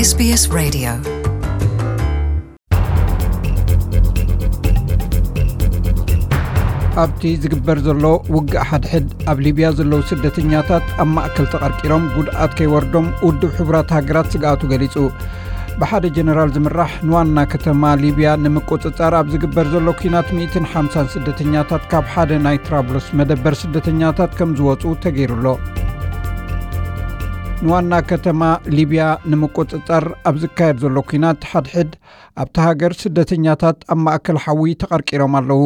SBS Radio. ኣብቲ ዝግበር ዘሎ ውግእ ሓድሕድ ኣብ ሊብያ ዘለዉ ስደተኛታት ኣብ ማእከል ተቐርቂሮም ጉድኣት ከይወርዶም ውድብ ሕቡራት ሃገራት ስግኣቱ ገሊጹ። ብሓደ ጀነራል ዝምራሕ ንዋና ከተማ ሊብያ ንምቁጽጻር ኣብ ዝግበር ዘሎ ኲናት ሚእትን ሓምሳን ስደተኛታት ካብ ሓደ ናይ ትራብሉስ መደበር ስደተኛታት ከም ዝወጹ ተገይሩሎ። ንዋና ከተማ ሊብያ ንምቁጽጻር ኣብ ዝካየድ ዘሎ ኲናት ሓድሕድ ኣብቲ ሃገር ስደተኛታት ኣብ ማእከል ሓዊ ተቐርቂሮም ኣለዉ።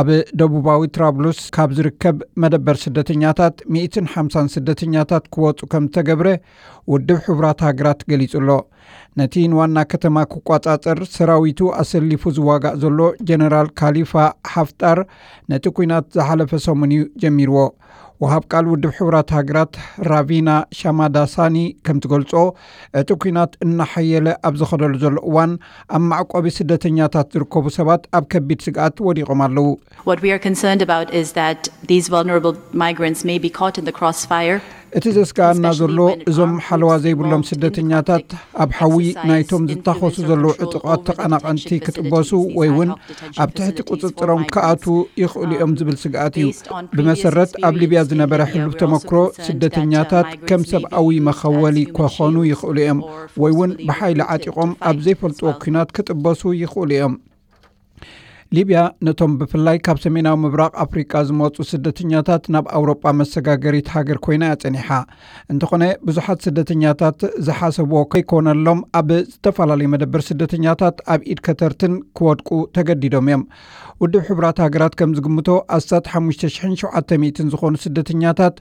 ኣብ ደቡባዊ ትራብሉስ ካብ ዝርከብ መደበር ስደተኛታት ሚእትን ሓምሳን ስደተኛታት ክወጹ ከም ዝተገብረ ውድብ ሕቡራት ሃገራት ገሊጹ ኣሎ። ነቲ ንዋና ከተማ ክቋጻጸር ሰራዊቱ ኣሰሊፉ ዝዋጋእ ዘሎ ጀነራል ካሊፋ ሓፍጣር ነቲ ኲናት ዝሓለፈ ሰሙን እዩ ጀሚርዎ። ወሃብ ቃል ውድብ ሕቡራት ሃገራት ራቪና ሻማዳሳኒ ከም ትገልጾ፣ እቲ ኲናት እናሓየለ ኣብ ዝኸደሉ ዘሎ እዋን ኣብ መዕቆቢ ስደተኛታት ዝርከቡ ሰባት ኣብ ከቢድ ስግኣት ወዲቖም ኣለዉ። What we are concerned about is that these vulnerable migrants may be caught in the crossfire. እቲ ዘስጋኣና ዘሎ እዞም ሓለዋ ዘይብሎም ስደተኛታት ኣብ ሓዊ ናይቶም ዝታኸሱ ዘለዉ ዕጡቓት ተቐናቐንቲ ክጥበሱ ወይ እውን ኣብ ትሕቲ ቁጽጽሮም ክኣትዉ ይኽእሉ እዮም ዝብል ስግኣት እዩ። ብመሰረት ኣብ ሊብያ ዝነበረ ሕሉፍ ተመክሮ፣ ስደተኛታት ከም ሰብኣዊ መኸወሊ ክኾኑ ይኽእሉ እዮም ወይ እውን ብሓይሊ ዓጢቖም ኣብ ዘይፈልጥዎ ኲናት ክጥበሱ ይኽእሉ እዮም። ሊብያ ነቶም ብፍላይ ካብ ሰሜናዊ ምብራቕ ኣፍሪቃ ዝመጹ ስደተኛታት ናብ ኣውሮጳ መሰጋገሪት ሃገር ኮይና እያ ጸኒሓ። እንተኾነ ብዙሓት ስደተኛታት ዝሓሰብዎ ከይኮነሎም ኣብ ዝተፈላለዩ መደበር ስደተኛታት ኣብ ኢድ ከተርትን ክወድቁ ተገዲዶም እዮም። ውድብ ሕቡራት ሃገራት ከም ዝግምቶ ኣስታት ሓሙሽተ ሽሕን ሸውዓተ ሚእትን ዝኾኑ ስደተኛታት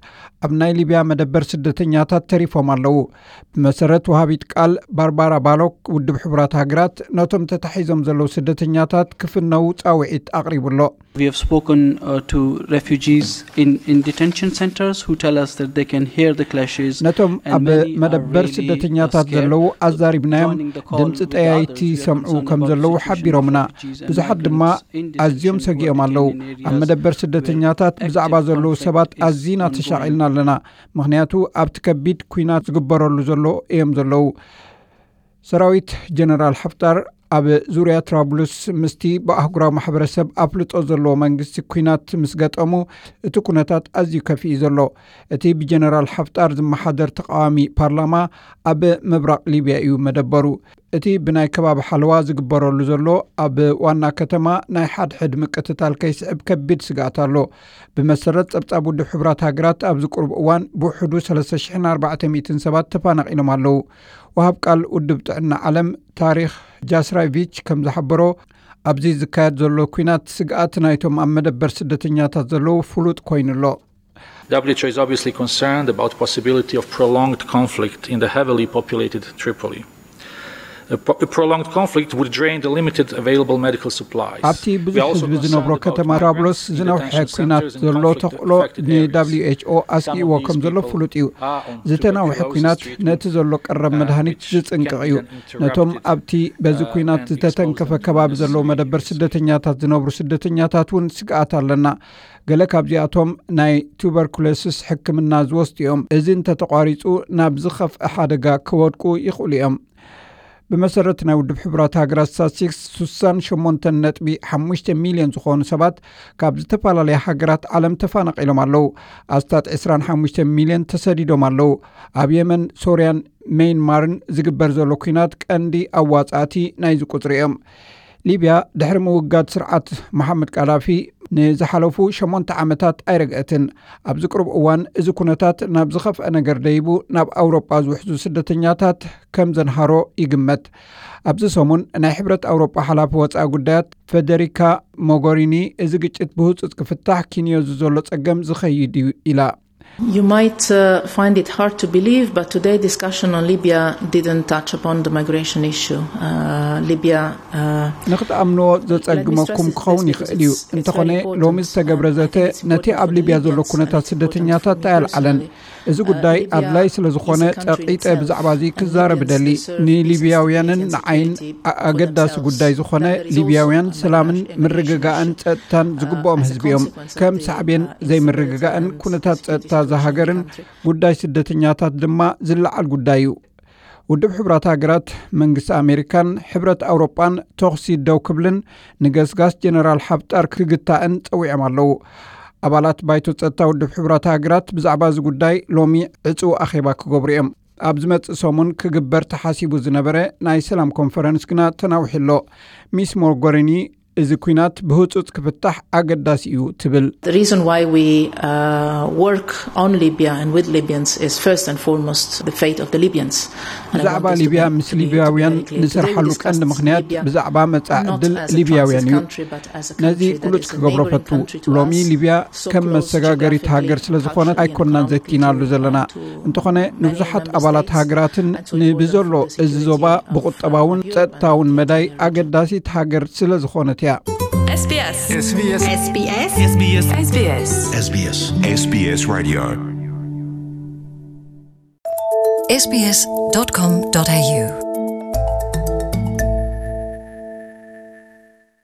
ኣብ ናይ ሊብያ መደበር ስደተኛታት ተሪፎም ኣለዉ። ብመሰረት ወሃቢት ቃል ባርባራ ባሎክ፣ ውድብ ሕቡራት ሃገራት ነቶም ተታሒዞም ዘለዉ ስደተኛታት ክፍነዉ ጻውዒት ኣቕሪቡ ኣሎ። We have spoken, uh, to refugees in, in detention centers who tell us that they can hear the clashes ነቶም ኣብ መደበር ስደተኛታት ዘለዉ ኣዛሪብናዮም። ድምፂ ጠያይቲ ይሰምዑ ከም ዘለዉ ሓቢሮምና። ብዙሓት ድማ ኣዝዮም ሰጊኦም ኣለዉ። ኣብ መደበር ስደተኛታት ብዛዕባ ዘለዉ ሰባት ኣዚና ተሻቒልና ኣለና፣ ምኽንያቱ ኣብቲ ከቢድ ኲናት ዝግበረሉ ዘሎ እዮም ዘለዉ። ሰራዊት ጀነራል ሓፍጣር ኣብ ዙርያ ትራብሉስ ምስቲ ብኣህጉራዊ ማሕበረሰብ ኣፍልጦ ዘለዎ መንግስቲ ኲናት ምስ ገጠሙ፣ እቲ ኩነታት ኣዝዩ ከፊኡ ዘሎ። እቲ ብጀነራል ሓፍጣር ዝመሓደር ተቃዋሚ ፓርላማ ኣብ ምብራቕ ሊብያ እዩ መደበሩ። እቲ ብናይ ከባቢ ሓለዋ ዝግበረሉ ዘሎ ኣብ ዋና ከተማ ናይ ሓድሕድ ምቅትታል ከይስዕብ ከቢድ ስግኣት ኣሎ። ብመሰረት ጸብጻብ ውድብ ሕቡራት ሃገራት ኣብዚ ቁሩብ እዋን ብውሕዱ ሰለስተ ሽሕን ኣርባዕተ ሚእትን ሰባት ተፋናቒሎም ኣለዉ። ወሃብ ቃል ውድብ ጥዕና ዓለም ታሪኽ ጃስራቪች ከም ዝሓበሮ፣ ኣብዚ ዝካየድ ዘሎ ኲናት ስግኣት ናይቶም ኣብ መደበር ስደተኛታት ዘለዉ ፍሉጥ ኮይኑ ኣሎ። W H O is obviously concerned about possibility of prolonged conflict in the heavily populated Tripoli. A pro- a prolonged conflict would drain the limited available medical supplies. ኣብቲ ብዙሕ ህዝቢ ዝነብሮ ከተማ ትራብሎስ ዝነውሐ ኲናት ዘሎ ተኽእሎ ን W H O ኣስጊእዎ ከም ዘሎ ፍሉጥ እዩ። ዝተናውሐ ኲናት ነቲ ዘሎ ቀረብ መድሃኒት ዝጽንቅቕ እዩ። ነቶም ኣብቲ በዚ ኲናት ዝተተንከፈ ከባቢ ዘለዉ መደበር ስደተኛታት ዝነብሩ ስደተኛታት እውን ስግኣት ኣለና። ገለ ካብዚኣቶም ናይ ቱበርኩሎስስ ሕክምና ዝወስዱ እዮም። እዚ እንተተቋሪጹ ናብ ዝኸፍአ ሓደጋ ክወድቁ ይኽእሉ እዮም። ብመሰረት ናይ ውድብ ሕቡራት ሃገራት ስታትስቲክስ፣ ስሳን ሸሞንተን ነጥቢ ሓሙሽተ ሚልዮን ዝኾኑ ሰባት ካብ ዝተፈላለያ ሃገራት ዓለም ተፋናቒሎም ኣለዉ። ኣስታት ዕስራን ሓሙሽተ ሚልዮን ተሰዲዶም ኣለዉ። ኣብ የመን፣ ሶርያን መይንማርን ዝግበር ዘሎ ኲናት ቀንዲ ኣዋጻእቲ ናይዚ ቁጽሪ እዮም። ሊብያ ድሕሪ ምውጋድ ስርዓት መሓመድ ቃዳፊ ንዝሓለፉ ሸሞንተ ዓመታት ኣይረግአትን። ኣብዚ ቅሩብ እዋን እዚ ኩነታት ናብ ዝኸፍአ ነገር ደይቡ ናብ ኣውሮጳ ዝውሕዙ ስደተኛታት ከም ዘንሃሮ ይግመት። ኣብዚ ሰሙን ናይ ሕብረት ኣውሮጳ ሓላፊ ወጻኢ ጉዳያት ፌደሪካ ሞጎሪኒ፣ እዚ ግጭት ብህጹጽ ክፍታሕ ኪንዮዚ ዘሎ ጸገም ዝኸይድ እዩ ኢላ። You might, uh, find it hard to believe, but today's discussion on Libya didn't touch upon the migration issue. Uh, Libya, uh, ንክትኣምንዎ ዘጸግመኩም ክኸውን ይኽእል እዩ። እንተኾነ፣ ሎሚ ዝተገብረ ዘተ ነቲ ኣብ ሊብያ ዘሎ ኩነታት ስደተኛታት ኣየልዓለን። እዚ ጉዳይ ኣድላይ ስለ ዝኾነ፣ ጸቒጠ ብዛዕባ እዚ ክዛረብ እደሊ። ንሊብያውያንን ንዓይን ኣገዳሲ ጉዳይ ዝኾነ፣ ሊብያውያን ሰላምን ምርግጋእን ጸጥታን ዝግብኦም ህዝቢ እዮም። ከም ሳዕቤን ዘይምርግጋእን ኩነታት ጸጥታ እዛ ሃገርን ጉዳይ ስደተኛታት ድማ ዝለዓል ጉዳይ እዩ። ውድብ ሕቡራት ሃገራት፣ መንግስቲ ኣሜሪካን ሕብረት ኣውሮጳን ተኹሲ ደው ክብልን ንገስጋስ ጀነራል ሓፍጣር ክግታእን ጸዊዖም ኣለዉ። ኣባላት ባይቶ ጸጥታ ውድብ ሕቡራት ሃገራት ብዛዕባ እዚ ጉዳይ ሎሚ ዕጹው ኣኼባ ክገብሩ እዮም። ኣብ ዝመጽእ ሰሙን ክግበር ተሓሲቡ ዝነበረ ናይ ሰላም ኮንፈረንስ ግና ተናዊሑ ኣሎ። ሚስ ሞርጎሪኒ፣ እዚ ኲናት ብህጹጽ ክፍታሕ ኣገዳሲ እዩ ትብል። The reason why we uh, work on Libya and with Libyans is first and foremost the fate of the Libyans. ብዛዕባ ሊብያ ምስ ሊብያውያን ንሰርሓሉ ቀንዲ ምኽንያት ብዛዕባ መጻኢ ዕድል ሊብያውያን እዩ። ነዚ ግሉጽ ክገብሮ ፈቱ። ሎሚ ሊብያ ከም መሰጋገሪት ሃገር ስለ ዝኾነት ኣይኮናን ዘቲናሉ ዘለና። እንተኾነ ንብዙሓት ኣባላት ሃገራትን ንብዘሎ እዚ ዞባ ብቁጠባውን ጸጥታውን መዳይ ኣገዳሲት ሃገር ስለ ዝኾነት እያ። SBS SBS SBS SBS SBS SBS SBS Radio sbs.com.au